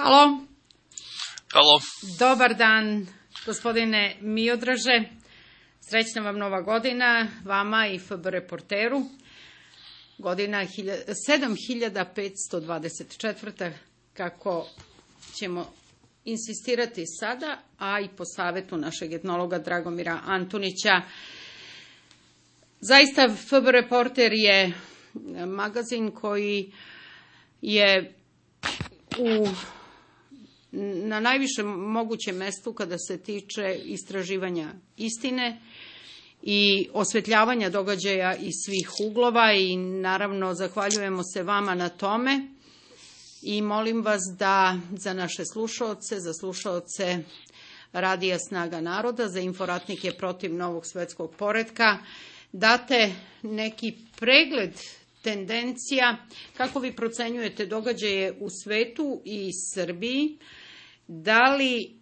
Halo. Halo. Dobar dan, gospodine Miodraže. Srećna vam nova godina, vama i FB Reporteru. Godina 7524. Kako ćemo insistirati sada, a i po savjetu našeg etnologa Dragomira Antunića. Zaista FB Reporter je magazin koji je na najvišem mogućem mestu kada se tiče istraživanja istine i osvetljavanja događaja iz svih uglova i naravno zahvaljujemo se vama na tome i molim vas da za naše slušaoce, za slušaoce Radija Snaga naroda, za inforatnike protiv novog svetskog poretka, date neki pregled tendencija kako vi procenjujete događaje u svetu i Srbiji, da li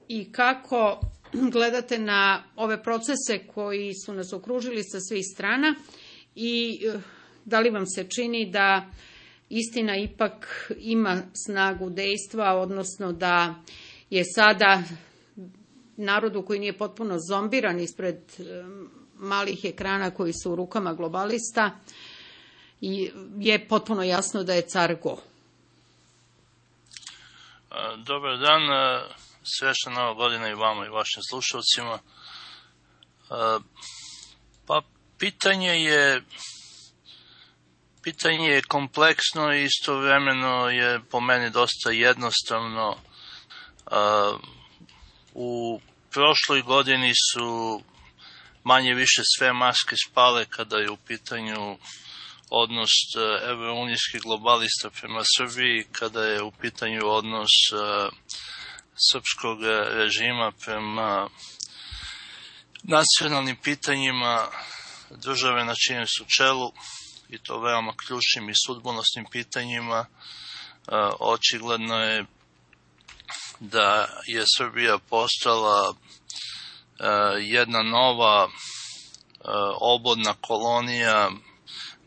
i kako gledate na ove procese koji su nas okružili sa svih strana i da li vam se čini da istina ipak ima snagu dejstva, odnosno da je sada narodu koji nije potpuno zombiran ispred malih ekrana koji su u rukama globalista i je potpuno jasno da je car go. Dobar dan, srećna nova godina i vama i vašim slušalcima. Pa pitanje je kompleksno i istovremeno je po meni dosta jednostavno. U prošloj godini su manje više sve maske spale kada je u pitanju odnos evrounijskih globalista prema Srbiji, kada je u pitanju odnos srpskog režima prema nacionalnim pitanjima države na čijem su čelu, i to veoma ključnim i sudbonosnim pitanjima. Očigledno je da je Srbija postala jedna nova obodna kolonija,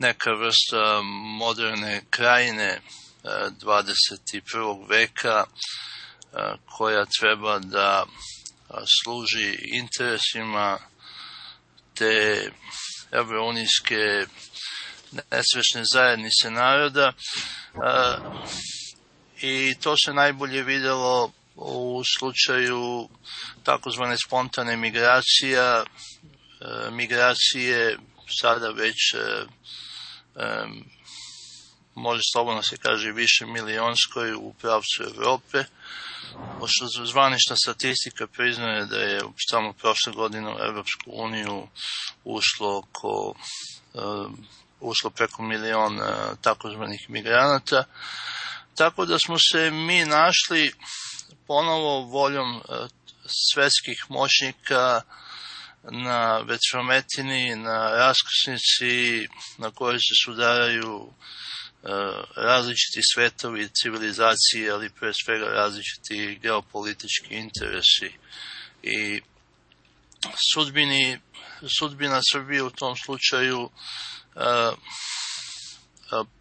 neka vrsta moderne krajine 21. veka koja treba da služi interesima te evrounijske nesvesne zajednice naroda i to se najbolje videlo u slučaju takozvane spontane migracije sada već može slobodno se kaže više milionskoj u pravcu Evrope. Pošto zvanična statistika priznaje da je samo prošle godine u Evropsku uniju ušlo preko milion takozvanih migranata. Tako da smo se mi našli ponovo voljom svetskih moćnika na vetrometini, na raskrsnici na kojoj se sudaraju različiti svetovi i civilizacije, ali pre svega različiti geopolitički interesi. I sudbina Srbije u tom slučaju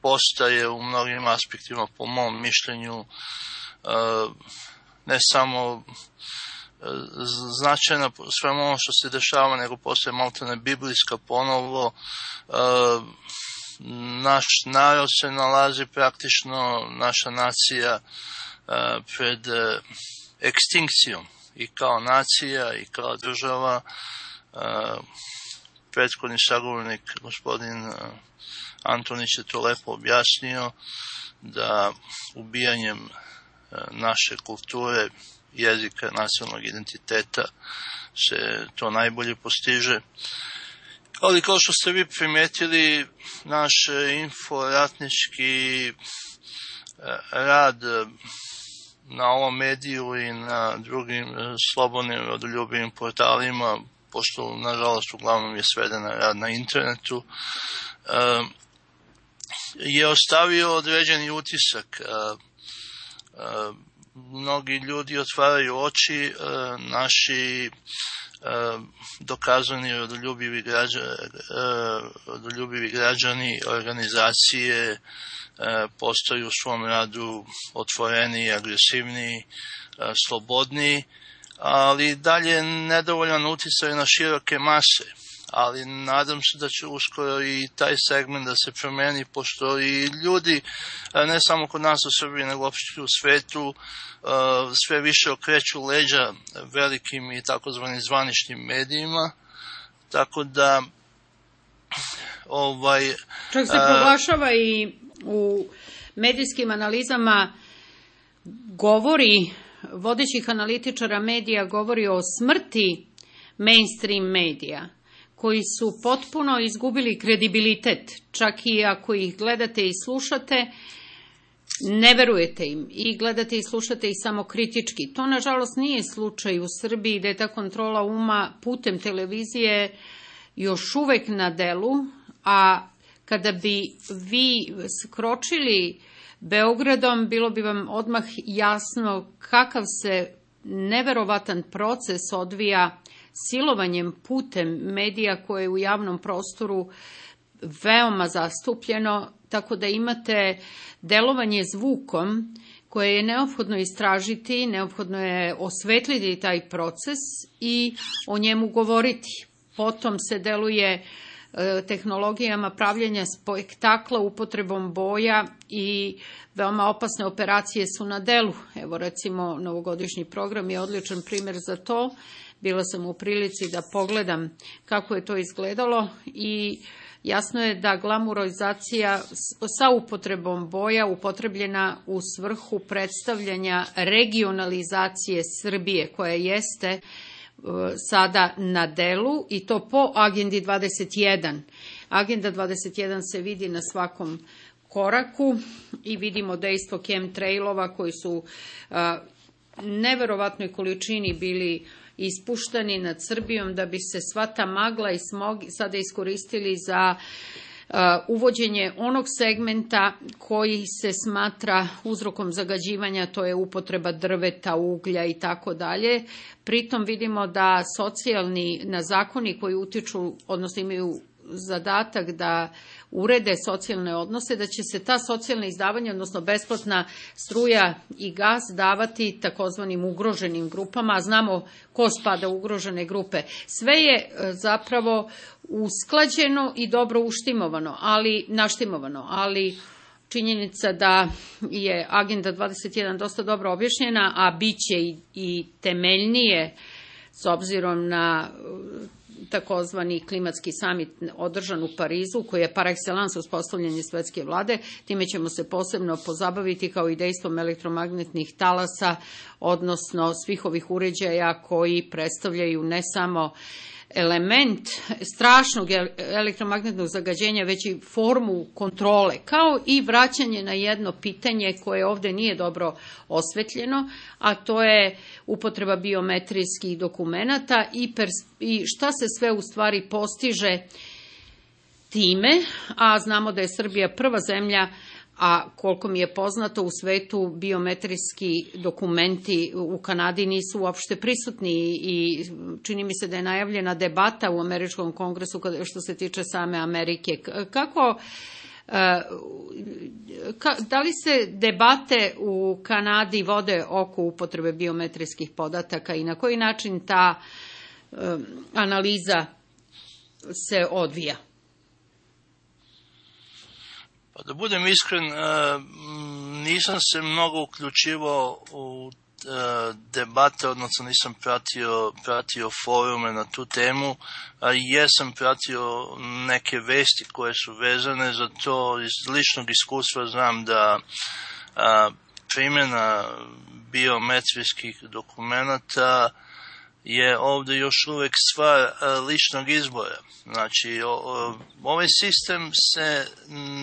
postaje u mnogim aspektima, po mom mišljenju, ne samo značajna svemu ono što se dešava, nego postaje maltene biblijska ponovo. Naš narod se nalazi praktično, naša nacija, pred ekstinkcijom i kao nacija i kao država. Prethodni sagovornik, gospodin Antonić, je to lepo objasnio, da ubijanjem naše kulture, jezika, nacionalnog identiteta se to najbolje postiže. Ali kao što ste vi primetili, naš inforatnički rad na ovom mediju i na drugim slobodnim rodoljubivim portalima, pošto nažalost uglavnom je sveden rad na internetu, je ostavio određeni utisak. mnogi ljudi otvaraju oči, naši dokazani rodoljubivi građani, organizacije postaju u svom radu otvoreniji, agresivniji, slobodniji, ali dalje nedovoljan uticaj na široke mase. Ali nadam se da će uskoro i taj segment da se promeni, pošto i ljudi, ne samo kod nas u Srbiji, nego uopšte u svetu, sve više okreću leđa velikim i takozvanim zvaničnim medijima, tako da čak se proglašava i u medijskim analizama vodećih analitičara medija govori o smrti mainstream medija, koji su potpuno izgubili kredibilitet, čak i ako ih gledate i slušate, ne verujete im i gledate i slušate ih samo kritički. To, nažalost, nije slučaj u Srbiji, da je ta kontrola uma putem televizije još uvek na delu, a kada bi vi skročili Beogradom, bilo bi vam odmah jasno kakav se neverovatan proces odvija silovanjem putem medija koje je u javnom prostoru veoma zastupljeno, tako da imate delovanje zvukom koje je neophodno istražiti, neophodno je osvetliti taj proces i o njemu govoriti. Potom se deluje tehnologijama pravljenja spektakla, upotrebom boja i veoma opasne operacije su na delu. Evo, recimo, novogodišnji program je odličan primjer za to. Bila sam u prilici da pogledam kako je to izgledalo i jasno je da glamurizacija sa upotrebom boja upotrebljena u svrhu predstavljanja regionalizacije Srbije, koja jeste sada na delu i to po agendi 21. Agenda 21 se vidi na svakom koraku i vidimo dejstvo chemtrailova koji su neverovatnoj količini bili ispuštani nad Srbijom da bi se sva ta magla i smog sada iskoristili za uvođenje onog segmenta koji se smatra uzrokom zagađivanja, to je upotreba drveta, uglja i tako dalje. Pritom vidimo da socijalni zakoni koji utiču, odnosno imaju zadatak da urede socijalne odnose, da će se ta socijalna izdavanja, odnosno besplatna struja i gas davati takozvanim ugroženim grupama, a znamo ko spada u ugrožene grupe. Sve je zapravo usklađeno i dobro naštimovano, ali činjenica da je Agenda 21 dosta dobro objašnjena, a bit će i temeljnije s obzirom na takozvani klimatski samit održan u Parizu, koji je par excellence uspostavljanje svetske vlade. Time ćemo se posebno pozabaviti, kao i dejstvom elektromagnetnih talasa, odnosno svih ovih uređaja koji predstavljaju ne samo element strašnog elektromagnetnog zagađenja, već i formu kontrole, kao i vraćanje na jedno pitanje koje ovde nije dobro osvetljeno, a to je upotreba biometrijskih dokumenata i šta se sve u stvari postiže time, a znamo da je Srbija prva zemlja, a koliko mi je poznato u svetu biometrijski dokumenti u Kanadi nisu uopšte prisutni i čini mi se da je najavljena debata u američkom kongresu što se tiče same Amerike. Da li se debate u Kanadi vode oko upotrebe biometrijskih podataka i na koji način ta analiza se odvija? Pa da budem iskren, nisam se mnogo uključivao u debate, odnosno nisam pratio forume na tu temu, a jesam pratio neke vesti koje su vezane za to. Iz ličnog iskustva znam da primjena biometrijskih dokumenata je ovde još uvek stvar ličnog izbora. Znači, ovaj sistem se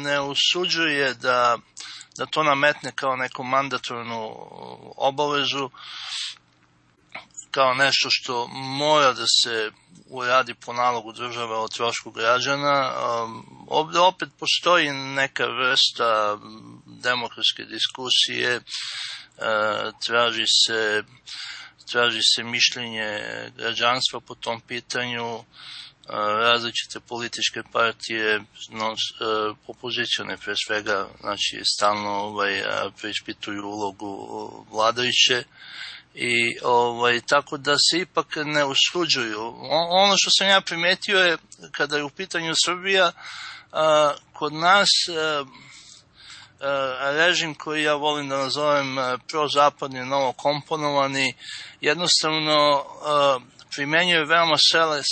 ne usuđuje da to nametne kao neku mandatornu obavezu, kao nešto što mora da se uradi po nalogu države o trošku građana. Ovde opet postoji neka vrsta demokratske diskusije traži se mišljenje građanstva po tom pitanju, različite političke partije, opozicione pre svega, znači stalno preispituju ulogu vladajuće i tako da se ipak ne usuđuju. Ono što sam ja primetio je, kada je u pitanju Srbija, kod nas režim koji ja volim da nazovem prozapadni, novokomponovani, jednostavno primenjuje veoma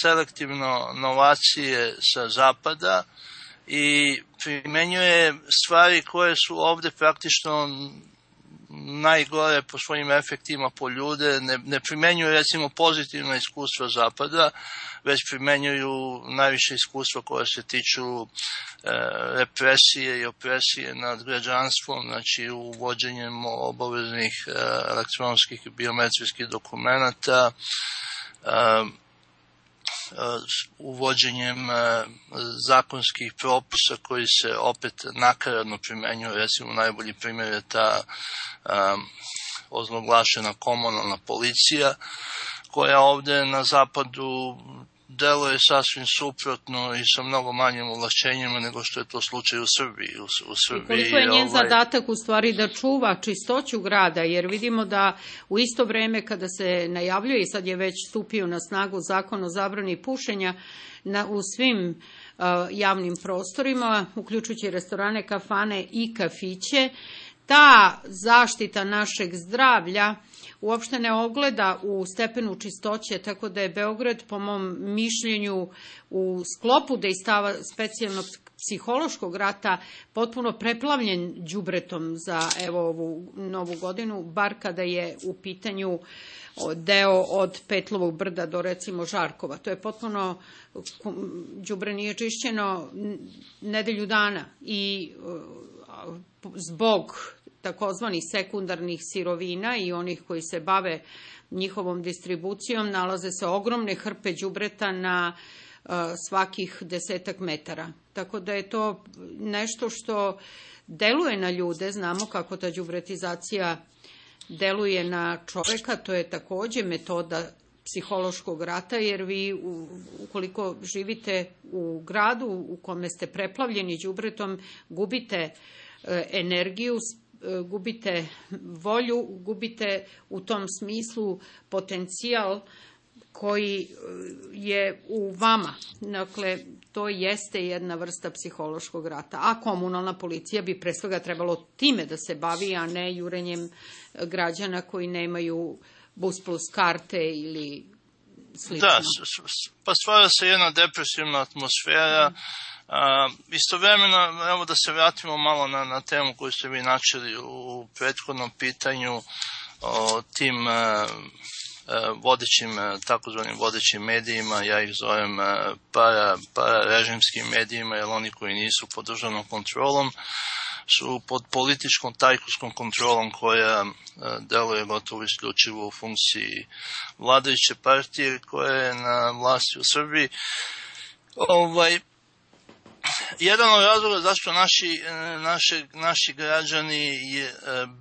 selektivno novacije sa zapada i primenjuje stvari koje su ovde praktično najgore po svojim efektima po ljude, ne primenjuju recimo pozitivna iskustva zapada, već primenjuju najviše iskustva koja se tiču represije i opresije nad građanstvom, znači uvođenjem obaveznih elektronskih i biometrijskih dokumenata, uvođenjem zakonskih propisa koji se opet nakaradno primenjuju. Recimo najbolji primjer je ta ozloglašena komunalna policija koja ovde na zapadu deluje sasvim suprotno i sa mnogo manjim ovlašćenjima nego što je to slučaj u Srbiji. I koliko je njen zadatak u stvari da čuva čistoću grada, jer vidimo da u isto vreme kada se najavljuje, i sad je već stupio na snagu zakon o zabrani pušenja u svim javnim prostorima, uključujući restorane, kafane i kafiće, ta zaštita našeg zdravlja uopšte ne ogleda u stepenu čistoće, tako da je Beograd, po mom mišljenju, u sklopu dejstava specijalnog psihološkog rata potpuno preplavljen đubretom za ovu novu godinu, bar kada je u pitanju deo od Petlovog brda do recimo Žarkova. To je potpuno, đubre nije čišćeno nedelju dana i zbog takozvanih sekundarnih sirovina i onih koji se bave njihovom distribucijom, nalaze se ogromne hrpe đubreta na svakih 10 metara. Tako da je to nešto što deluje na ljude, znamo kako ta đubretizacija deluje na čoveka, to je takođe metoda psihološkog rata, jer vi ukoliko živite u gradu u kome ste preplavljeni đubretom, gubite energiju, gubite volju, gubite u tom smislu potencijal koji je u vama. Dakle, to jeste jedna vrsta psihološkog rata. A komunalna policija bi pre svega trebalo time da se bavi, a ne jurenjem građana koji nemaju bus plus karte ili slično. Da, pa stvara se jedna depresivna atmosfera. Istovremeno, evo da se vratimo malo na temu koju ste vi načeli u prethodnom pitanju o tim takozvanim vodećim medijima, ja ih zovem pararežimskim medijima, jer oni koji nisu pod državnom kontrolom su pod političkom tajkunskom kontrolom koja deluje gotovo isključivo u funkciji vladajuće partije koja je na vlasti u Srbiji. Jedan od razloga zašto naši građani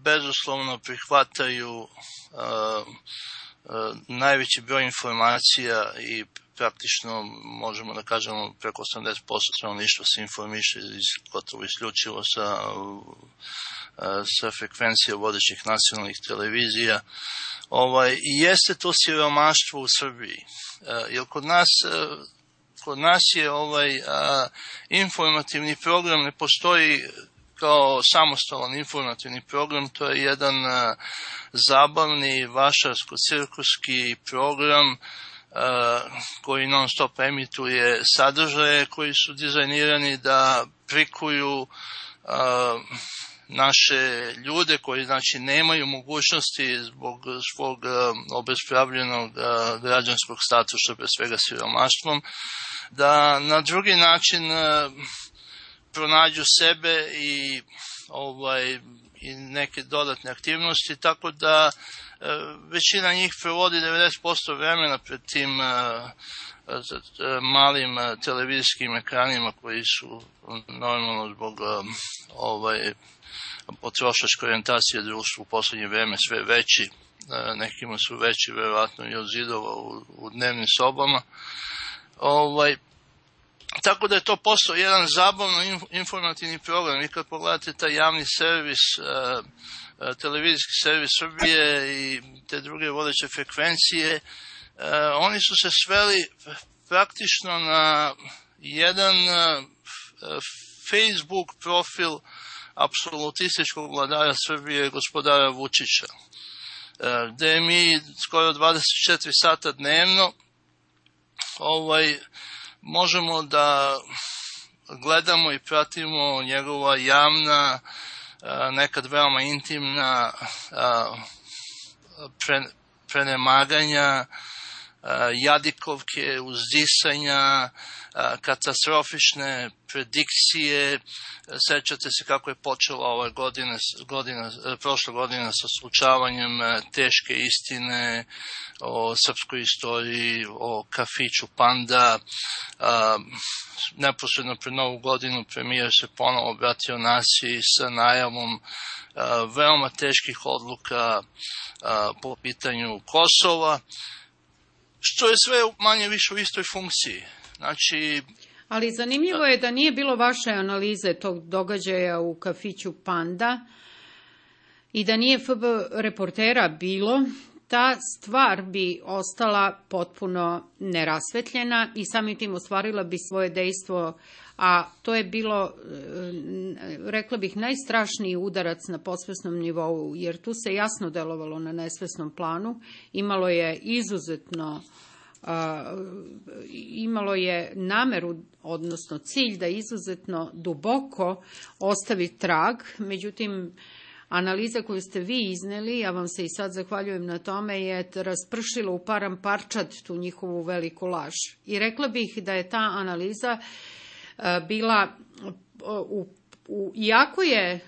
bezuslovno prihvataju najveći broj informacija i praktično možemo da kažemo preko 80% stanovništva se informiše gotovo isključivo sa frekvencija vodećih nacionalnih televizija. I jeste to siromaštvo u Srbiji. Jer kod nas je informativni program ne postoji kao samostalan informativni program, to je jedan zabavni, vašarsko-cirkuski program koji non stop emituje sadržaje koji su dizajnirani da prikuju naše ljude koji znači nemaju mogućnosti zbog svog obespravljenog građanskog statusa, pre svega siromaštvom, da na drugi način pronađu sebe i neke dodatne aktivnosti, tako da većina njih provodi 90% vremena pred tim malim televizijskim ekranima koji su normalno zbog potrošačke orijentacije društva u poslednje vreme sve veći, nekima su veći verovatno i od zidova u dnevnim sobama. Tako da je to postao jedan zabavno informativni program. I kad pogledate taj javni servis, televizijski servis Srbije i te druge vodeće frekvencije, oni su se sveli praktično na jedan Facebook profil apsolutističkog vladara Srbije, gospodara Vučića, gde mi skoro 24 sata dnevno možemo da gledamo i pratimo njegova javna, nekad veoma intimna prenemaganja, jadikovke, uzdisanja, katastrofične predikcije. Sećate se kako je počela ove prošle godine sa slučavanjem teške istine o srpskoj istoriji, o kafiću Panda. Neposredno pred Novu godinu premijer se ponovo obratio naciji sa najavom veoma teških odluka po pitanju Kosova, što je sve manje više u istoj funkciji. Znači, ali zanimljivo je da nije bilo vaše analize tog događaja u kafiću Panda i da nije FB reportera bilo, ta stvar bi ostala potpuno nerasvetljena i samim tim ostvarila bi svoje dejstvo, a to je bilo, rekla bih, najstrašniji udarac na podsvesnom nivou, jer tu se jasno delovalo na nesvesnom planu, imalo je nameru, odnosno cilj da izuzetno duboko ostavi trag. Međutim, analiza koju ste vi izneli, ja vam se i sad zahvaljujem na tome, je raspršila u param parčad tu njihovu veliku laž. I rekla bih da je ta analiza bila, iako je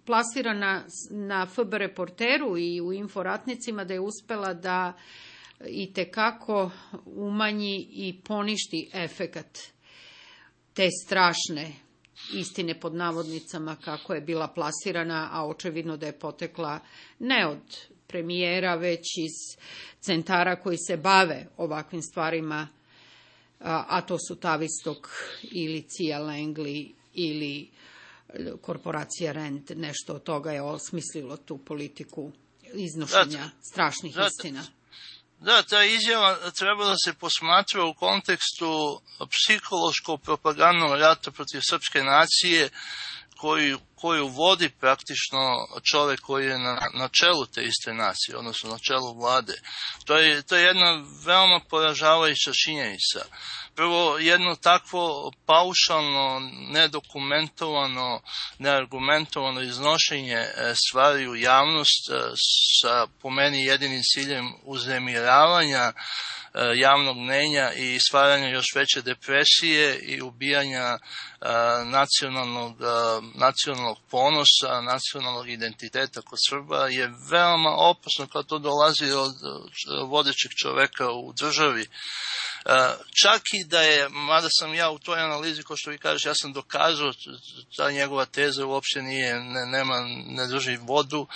plasirana na FB reporteru i u inforatnicima, da je uspela da i tekako umanji i poništi efekat te strašne istine pod navodnicama kako je bila plasirana, a očevidno da je potekla ne od premijera, već iz centara koji se bave ovakvim stvarima, a to su Tavistok ili Cija Langley ili korporacija Rand. Nešto od toga je osmislilo tu politiku iznošenja strašnih istina. Da, ta izjava treba da se posmatra u kontekstu psihološko-propagandnog rata protiv srpske nacije koju vodi praktično čovek koji je na čelu te iste nacije, odnosno na čelu vlade. To je jedna veoma poražavajuća činjenica. Prvo, jedno takvo paušalno, nedokumentovano, neargumentovano iznošenje stvari u javnost sa, po meni, jedinim ciljem uznemiravanja javnog mnenja i stvaranja još veće depresije i ubijanja nacionalnog ponosa, nacionalnog identiteta kod Srba je veoma opasno kad to dolazi od vodećeg čoveka u državi. Čak i da je, mada sam ja u toj analizi, kao što vi kažete, ja sam dokazao, ta njegova teza uopšte ne drži vodu,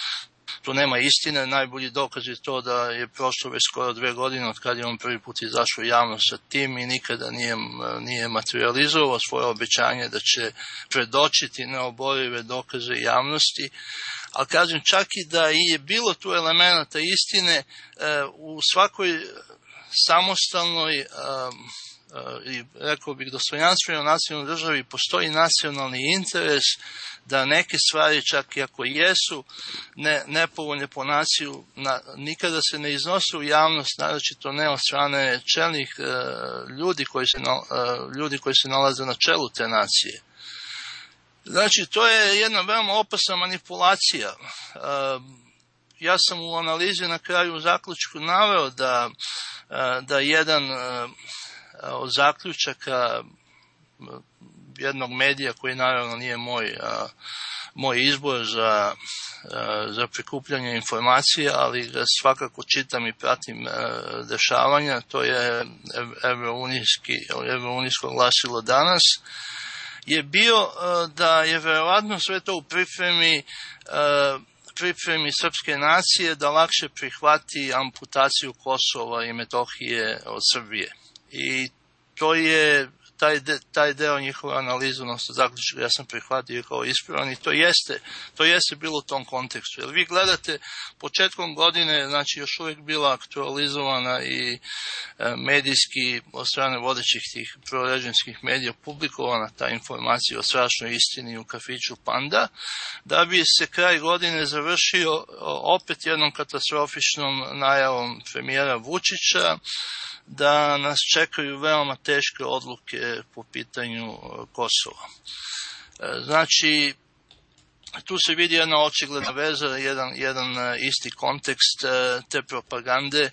tu nema istine. Najbolji dokaz je to da je prošlo već skoro 2 godine od kada je on prvi put izašao javno sa tim i nikada nije materializovao svoje obećanje da će predočiti neoborive dokaze javnosti. Ali kažem, čak i da je bilo tu elemenata istine, u svakoj samostalnoj i rekao bih dostojanstvenoj nacionalnoj državi postoji nacionalni interes da neke stvari, čak i ako jesu nepovoljne po naciju, nikada se ne iznose u javnost, naročito ne od strane čelnih ljudi koji se nalaze na čelu te nacije. Znači, to je jedna veoma opasna manipulacija. Ja sam u analizi na kraju u zaključku naveo da jedan od zaključaka jednog medija, koji naravno nije moj izbor za prikupljanje informacija, ali ga svakako čitam i pratim dešavanja, to je Evrounijsko glasilo Danas, je bio da je verovatno sve to u pripremi srpske nacije da lakše prihvati amputaciju Kosova i Metohije od Srbije. I to je taj deo njihove analize, odnosno zaključka, ja sam prihvatio kao ispravan i to jeste bilo u tom kontekstu. Jer vi gledate, početkom godine, znači još uvijek bila aktualizovana i medijski od strane vodećih tih prorežimskih medija publikovana ta informacija o strašnoj istini u kafiću Panda, da bi se kraj godine završio opet jednom katastrofičnom najavom premijera Vučića da nas čekaju veoma teške odluke po pitanju Kosova. Znači, tu se vidi jedna očigledna veza, jedan isti kontekst te propagande,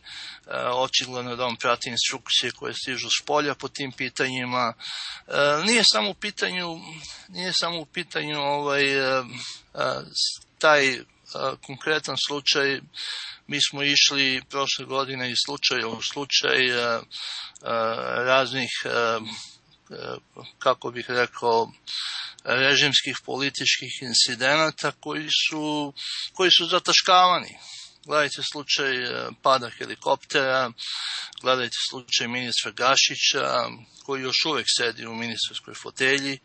očigledno da on prati instrukcije koje stižu s polja po tim pitanjima. Nije samo u pitanju taj konkretan slučaj. Mi smo išli prošle godine iz slučaja u slučaj raznih, kako bih rekao, režimskih političkih incidenata koji su zataškavani. Gledajte slučaj pada helikoptera, gledajte slučaj ministra Gašića, koji još uvijek sedi u ministarskoj fotelji,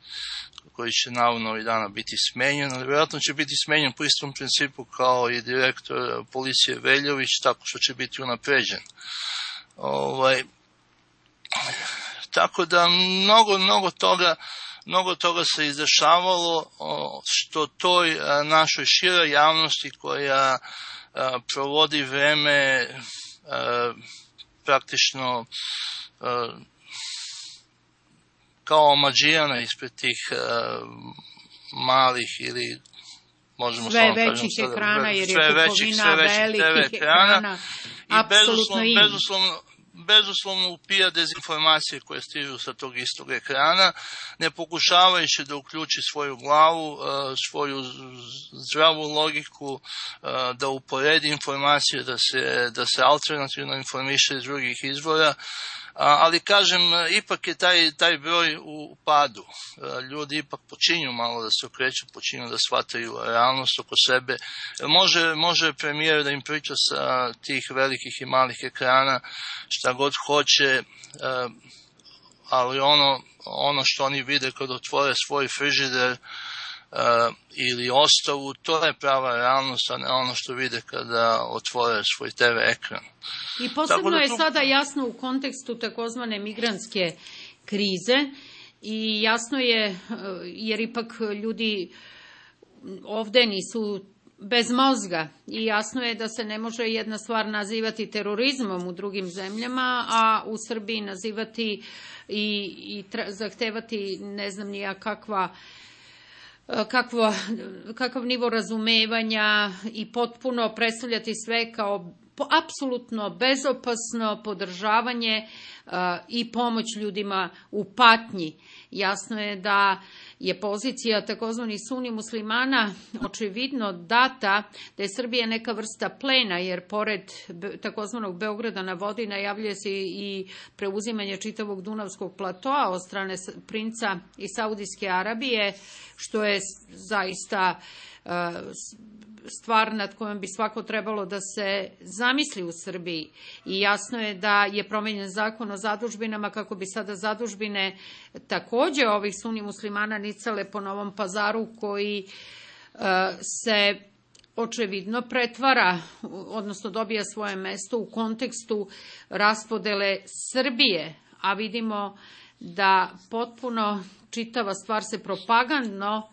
koji će navodno ovih dana biti smenjen, ali vjerojatno će biti smenjen po istom principu kao i direktor policije Veljović, tako što će biti unapređen. Tako da mnogo toga se izdešavalo što toj našoj široj javnosti koja provodi vreme praktično kao omađijana ispred tih malih ili možemo sve većih ekrana, jer je kupovina velikih ekrana apsolutno bezuslovno upija dezinformacije koje stižu sa tog istog ekrana, ne pokušavajući da uključi svoju glavu, svoju zdravu logiku, da uporedi informacije, da se alternativno informiše iz drugih izvora. Ali kažem, ipak je taj broj u padu. Ljudi ipak počinju malo da se okreću, počinju da shvataju realnost oko sebe. Može premijer da im priča sa tih velikih i malih ekrana šta god hoće, ali ono što oni vide kad otvore svoj frižider ili ostavu, to je prava realnost, a ne ono što vide kada otvore svoj TV ekran. I posebno je sada jasno u kontekstu takozvane migrantske krize i jasno je, jer ipak ljudi ovde nisu bez mozga i jasno je da se ne može jedna stvar nazivati terorizmom u drugim zemljama, a u Srbiji nazivati i zahtevati ne znam ni ja kakav nivo razumevanja i potpuno predstavljati sve kao apsolutno bezopasno podržavanje i pomoć ljudima u patnji. Jasno je da je pozicija takozvani sunni muslimana očevidno data da je Srbija neka vrsta plena, jer pored takozvanog Beograda na vodi najavljuje se i preuzimanje čitavog Dunavskog platoa od strane princa iz Saudijske Arabije, što je zaista stvar nad kojom bi svako trebalo da se zamisli u Srbiji. I jasno je da je promenjen zakon o zadužbinama kako bi sada zadužbine takođe ovih sunni muslimana nicale po Novom Pazaru, koji se očevidno pretvara, odnosno dobija svoje mesto u kontekstu raspodele Srbije, a vidimo da potpuno čitava stvar se propagandno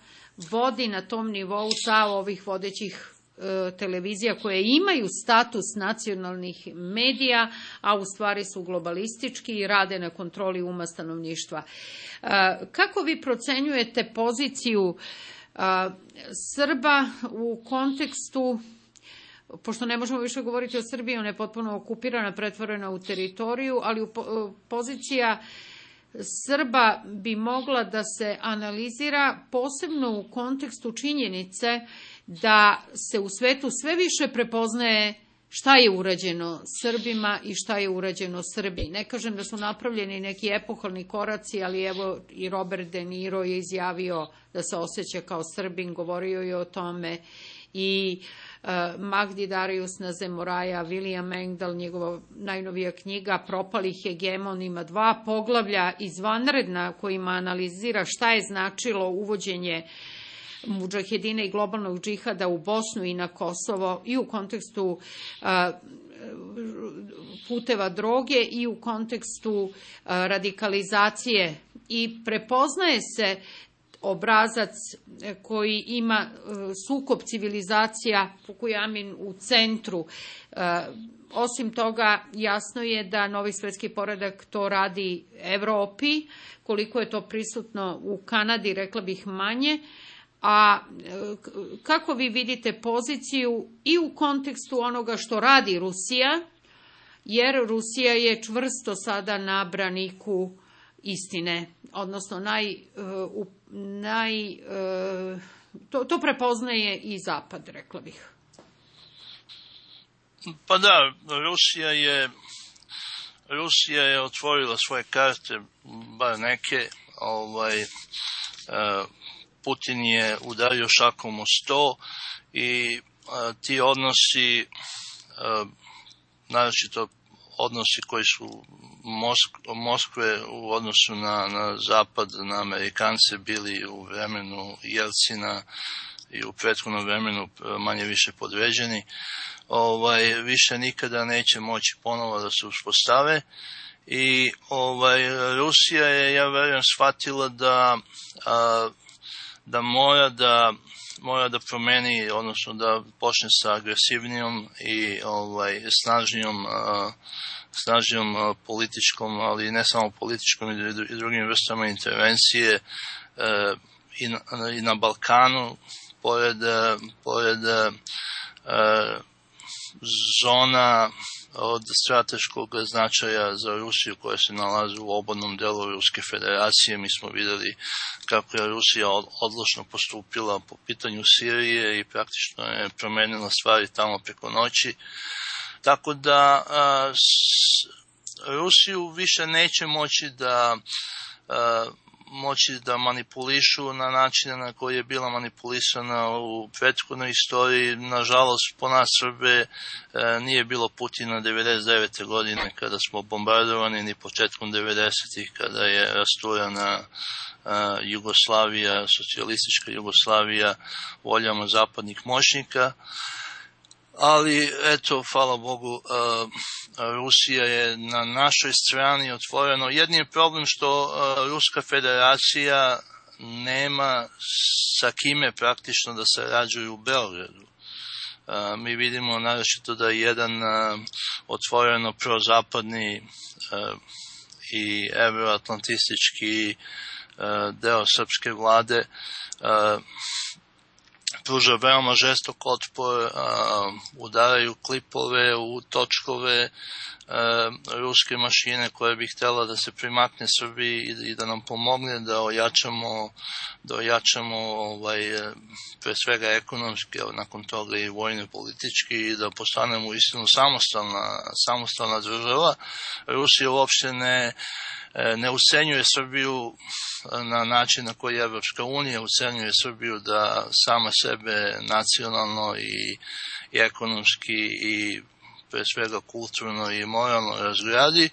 vodi na tom nivou sa ovih vodećih televizija koje imaju status nacionalnih medija, a u stvari su globalistički i rade na kontroli uma stanovništva. Kako vi procenjujete poziciju Srba u kontekstu, pošto ne možemo više govoriti o Srbiji, ona je potpuno okupirana, pretvorena u teritoriju, ali pozicija Srba bi mogla da se analizira posebno u kontekstu činjenice da se u svetu sve više prepoznaje šta je urađeno Srbima i šta je urađeno Srbiji. Ne kažem da su napravljeni neki epohalni koraci, ali evo i Robert De Niro je izjavio da se osjeća kao Srbin, govorio je o tome, i Magdi Darius Nazemoraja, William Engdahl, njegova najnovija knjiga Propali hegemon, ima 2 poglavlja izvanredna kojima analizira šta je značilo uvođenje mudžahedina i globalnog džihada u Bosnu i na Kosovo i u kontekstu puteva droge i u kontekstu radikalizacije, i prepoznaje se obrazac koji ima sukob civilizacija, Fukuyami u centru. Osim toga, jasno je da novi svetski poredak to radi Evropi, koliko je to prisutno u Kanadi, rekla bih manje. A kako vi vidite poziciju i u kontekstu onoga što radi Rusija, jer Rusija je čvrsto sada na braniku istine, odnosno to prepoznaje i Zapad, rekla bih. Pa da, Rusija je otvorila svoje karte, bar neke, Putin je udario šakom o sto i ti odnosi, naročito odnosi koji su Moskve u odnosu na Zapad, na Amerikance, bili u vremenu Jelcina i u prethodnom vremenu manje više podređeni, više nikada neće moći ponovo da se uspostave. I Rusija je, ja verujem, shvatila da mora da promeni, odnosno da počne sa agresivnijom i snažnijom političkom, ali ne samo političkom i drugim vrstama intervencije i na Balkanu, pored zona od strateškog značaja za Rusiju koja se nalazi u obodnom delu Ruske federacije. Mi smo videli kako je Rusija odlučno postupila po pitanju Sirije i praktično je promenila stvari tamo preko noći. Tako da Rusiju više neće moći da manipulišu na načine na koji je bila manipulisana u prethodnoj istoriji. Nažalost, po nas Srbe nije bilo Putina 99. godine kada smo bombardovani, ni početkom 90-ih kada je rasturana Jugoslavija, socijalistička Jugoslavija voljama zapadnih moćnika. Ali, eto, hvala Bogu, Rusija je na našoj strani otvoreno. Jedini problem što Ruska federacija nema sa kime praktično da sarađuju u Beogradu. Mi vidimo naročito da je jedan otvoreno prozapadni i evroatlantistički deo srpske vlade pruža veoma žestok otpor, udaraju klipove u točkove ruske mašine koje bi htjela da se primakne Srbiji i da nam pomogne da ojačamo pre svega ekonomski, nakon toga i vojno politički, i da postanemo uistinu samostalna država. Rusija uopšte ne ucenjuje Srbiju na način na koji Evropska unija ucenjuje Srbiju da sama sebe nacionalno i ekonomski i pre svega kulturno i moralno razgradi,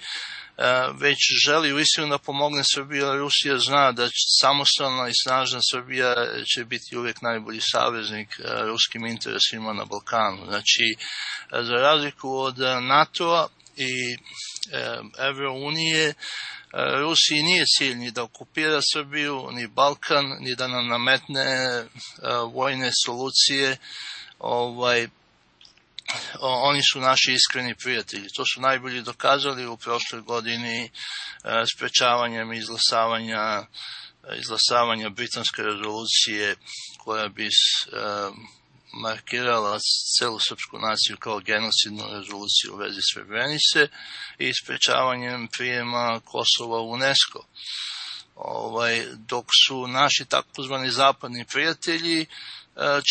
već želi uistinu da pomogne Srbiji. Rusija zna da samostalna i snažna Srbija će biti uvijek najbolji saveznik ruskim interesima na Balkanu. Znači, za razliku od NATO-a i Evrounije, Rusiji nije cilj ni da okupira Srbiju, ni Balkan, ni da nam nametne vojne solucije. Oni su naši iskreni prijatelji. To su najbolje dokazali u prošloj godini sprečavanjem izglasavanja britanske rezolucije koja bi markirala celu srpsku naciju kao genocidnu rezoluciju u vezi Srebrenice i sprečavanjem prijema Kosova u UNESCO. Dok su naši takozvani zapadni prijatelji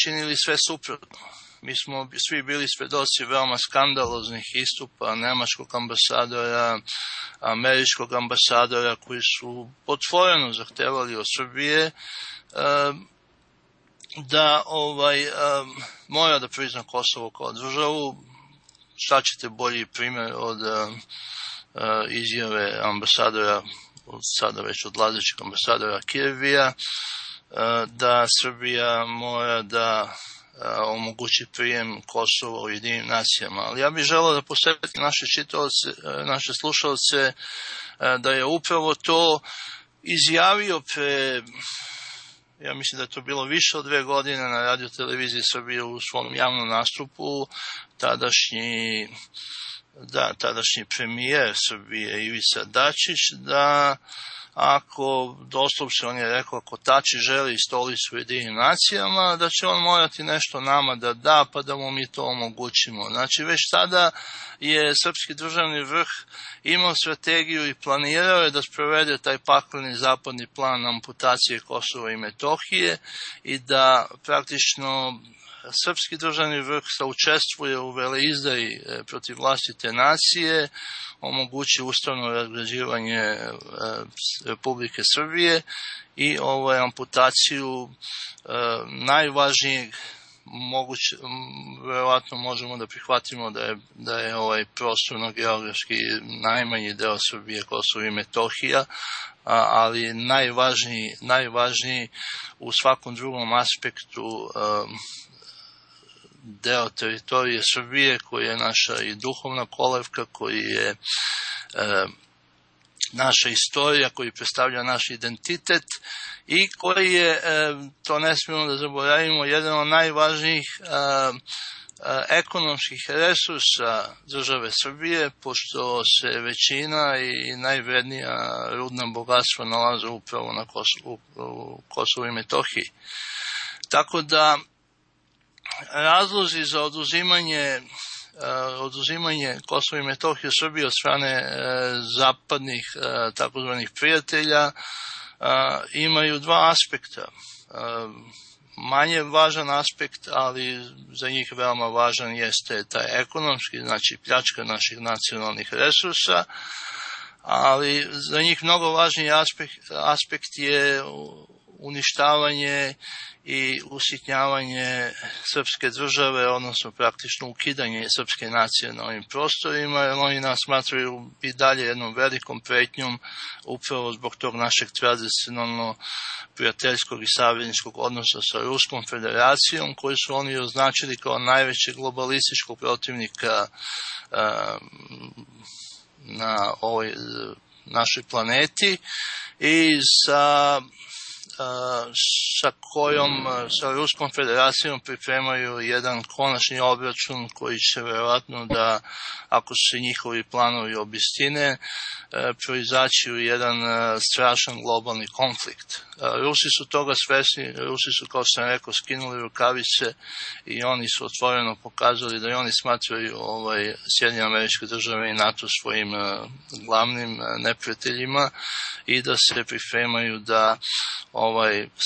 činili sve suprotno. mi smo svi bili svedoci veoma skandaloznih istupa nemačkog ambasadora, američkog ambasadora, koji su otvoreno zahtevali od Srbije da mora da prizna Kosovo kao državu. Šta ćete bolji primjer od izjave ambasadora, sada već odlazećeg ambasadora Kirvija, da Srbija mora da omogući prijem Kosova u Ujedinjenim nacijama. Ali ja bih želeo da posjetim naše slušalce da je upravo to izjavio ja mislim da je to bilo više od 2 godine na Radio televiziji Srbije u svom javnom nastupu, tadašnji premijer Srbije Ivica Dačić, da doslovce on je rekao, ako Tači želi stolicu u Ujedinjenim nacijama, da će on morati nešto nama da da, pa da mu mi to omogućimo. Znači, već tada je srpski državni vrh imao strategiju i planirao je da sprovede taj pakleni zapadni plan amputacije Kosova i Metohije i da praktično srpski državni vrh saučestvuje u veleizdaji protiv vlastite nacije, omogući ustavno razgrađivanje Republike Srbije i amputaciju najvažnijeg moguće, verovatno možemo da prihvatimo da je prostorno-geografski najmanji deo Srbije Kosovo i Metohija, ali najvažniji u svakom drugom aspektu deo teritorije Srbije, koji je naša i duhovna kolevka, koji je naša istorija, koji predstavlja naš identitet i koji je, to ne smijemo da zaboravimo, jedan od najvažnijih ekonomskih resursa države Srbije, pošto se većina i najvrednija rudna bogatstva nalaze upravo na Kosovu i Metohiji. Tako da razlozi za oduzimanje Kosova i Metohije Srbije od strane zapadnih takozvanih prijatelja imaju 2 aspekta. Manje važan aspekt, ali za njih veoma važan jeste taj ekonomski, znači pljačka naših nacionalnih resursa, ali za njih mnogo važniji aspekt je uništavanje i usitnjavanje srpske države, odnosno praktično ukidanje srpske nacije na ovim prostorima, jer oni nas smatraju i dalje jednom velikom pretnjom upravo zbog tog našeg tradicionalno prijateljskog i savezničkog odnosa sa Ruskom federacijom, koji su oni označili kao najvećeg globalističkog protivnika na ovoj našoj planeti i sa sa Ruskom federacijom pripremaju jedan konačni obračun koji će verovatno da, ako se njihovi planovi obistine, proizaći u jedan strašan globalni konflikt. Rusi su toga svesni, Rusi su, kao sam rekao, skinuli rukavice i oni su otvoreno pokazali da i oni smatraju Sjedinjene Američke Države i NATO svojim glavnim neprijateljima i da se pripremaju da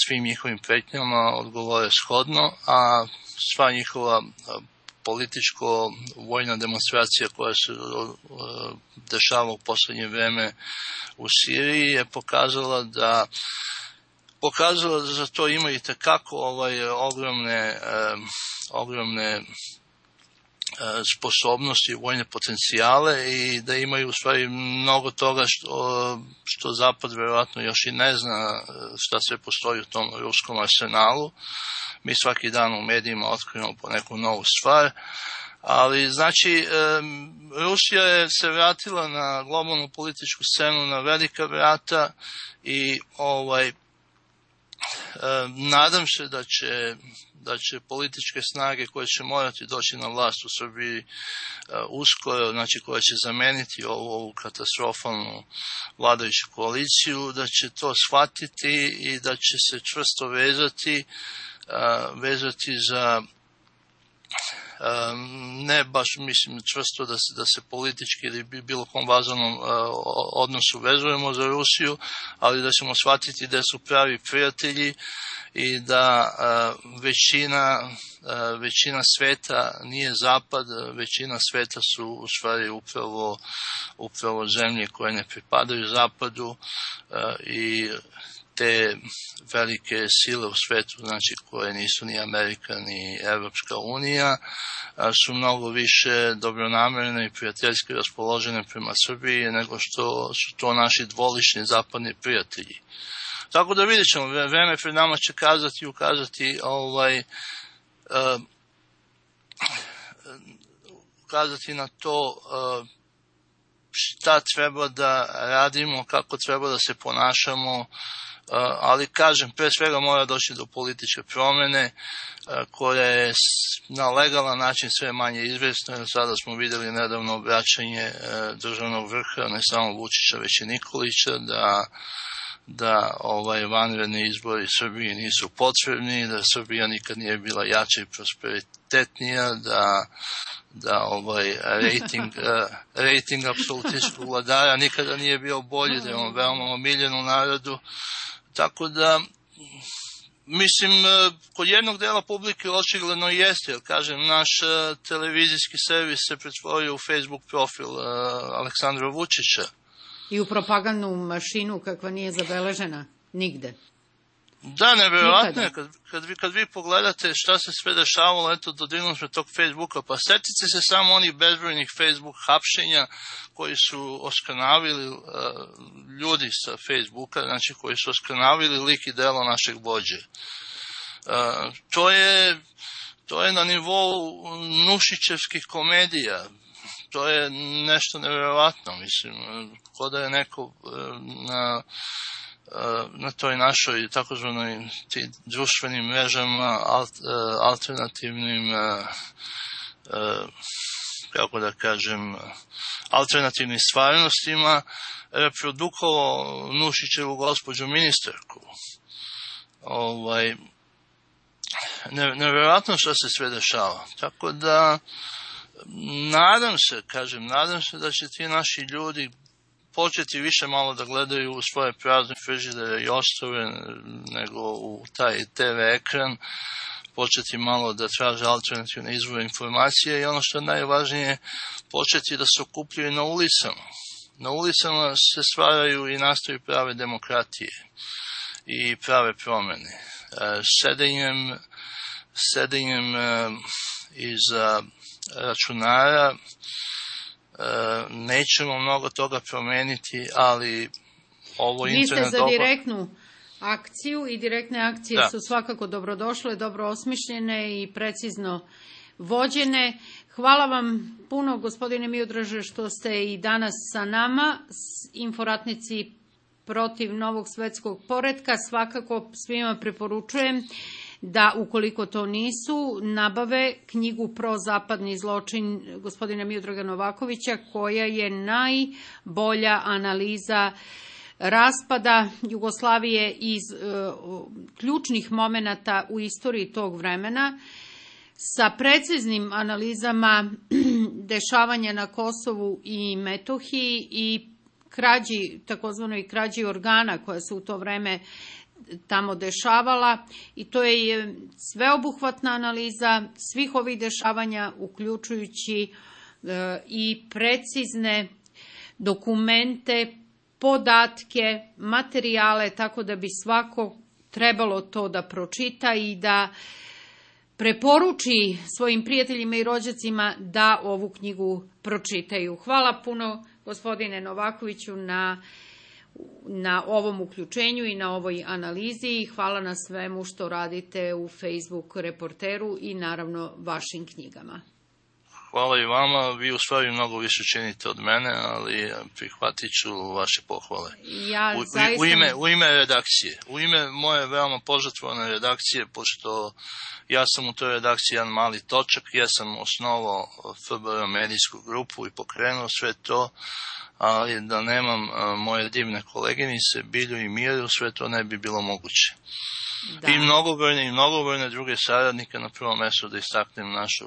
svim njihovim pretnjama odgovore shodno, a sva njihova političko-vojna demonstracija koja se dešava u poslednje vreme u Siriji je pokazala da za to ima i tekako ogromne sposobnosti, vojne potencijale i da imaju u stvari mnogo toga što Zapad verovatno još i ne zna šta sve postoji u tom ruskom arsenalu. Mi svaki dan u medijima otkrijemo po neku novu stvar, ali znači Rusija je se vratila na globalnu političku scenu na velika vrata i nadam se da će političke snage koje će morati doći na vlast u Srbiji uskoro, znači koja će zameniti ovu katastrofalnu vladajuću koaliciju, da će to shvatiti i da će se čvrsto vezati ne baš mislim čvrsto da se politički ili bilo kom važnom odnosu vezujemo za Rusiju, ali da ćemo shvatiti da su pravi prijatelji i da većina sveta nije zapad, većina sveta su u stvari upravo zemlje koje ne pripadaju zapadu i te velike sile u svetu, znači koje nisu ni Amerika ni Evropska unija, su mnogo više dobronamerne i prijateljski raspoložene prema Srbiji nego što su to naši dvolični zapadni prijatelji. Tako da vidjet ćemo, vreme pred nama će ukazati na to šta treba da radimo, kako treba da se ponašamo, ali kažem, pre svega mora doći do političke promene koja je na legalan način sve manje izvesna. Sada smo videli nedavno obraćanje državnog vrha, ne samo Vučića, već i Nikolića, da vanredni izbori Srbiji nisu potrebni, da Srbija nikad nije bila jača i prosperitetnija, da rating apsolutističkog vladara nikada nije bio bolji, da je on veoma omiljen u narodu. Tako da, mislim, kod jednog dela publike očigledno jeste, jer kažem, naš televizijski servis se pretvorio u Facebook profil Aleksandra Vučića. I u propagandnu mašinu kakva nije zabeležena nigde. Da, nevjerojatno je, kad vi pogledate šta se sve dešavalo, eto, dodirnuli smo tog Facebooka, pa setite se samo onih bezbrojnih Facebook hapšenja koji su oskrnavili ljudi sa Facebooka, znači koji su oskrnavili lik i delo našeg vođe. To je na nivou Nušićevskih komedija. To je nešto nevjerovatno, mislim, ko da je neko na toj našoj takozvanoj društvenim mrežama, alternativnim, kako da kažem, alternativnim stvarnostima reprodukovao Nušićevu gospođu ministarku. Nevjerojatno što se sve dešava. Tako da, nadam se da će ti naši ljudi početi više malo da gledaju u svoje prazne frižidere i ostove nego u taj TV ekran, početi malo da traže alternativne izvore informacije i ono što je najvažnije, početi da se okupljaju na ulicama. Na ulicama se stvaraju i nastaju prave demokratije i prave promene. Sedenjem iza računara nećemo mnogo toga promeniti, ali ovo internet... Vi ste za direktnu akciju i direktne akcije su svakako dobrodošle, dobro osmišljene i precizno vođene. Hvala vam puno, gospodine Miodraže, što ste i danas sa nama. Inforatnici protiv novog svetskog poretka svakako svima preporučujem da, ukoliko to nisu, nabave knjigu Prozapadni zločin gospodina Miodraga Novakovića, koja je najbolja analiza raspada Jugoslavije iz ključnih momenata u istoriji tog vremena, sa preciznim analizama dešavanja na Kosovu i Metohiji i takozvanoj krađi organa koja se u to vreme tamo dešavala, i to je sveobuhvatna analiza svih ovih dešavanja, uključujući i precizne dokumente, podatke, materijale, tako da bi svako trebalo to da pročita i da preporuči svojim prijateljima i rođacima da ovu knjigu pročitaju. Hvala puno, gospodine Novakoviću, na ovom uključenju i na ovoj analizi i hvala na svemu što radite u Facebook reporteru i naravno vašim knjigama. Hvala i vama, vi u stvari mnogo više činite od mene, ali prihvatit ću vaše pohvale. U ime redakcije, u ime moje veoma požrtvovane redakcije, pošto ja sam u toj redakciji jedan mali točak, ja sam osnovao FBR medijsku grupu i pokrenuo sve to, ali da nemam moje divne koleginice, Bilju i Miru, sve to ne bi bilo moguće. Da. I mnogobrojne druge saradnike, na prvom mjestu da istaknem našu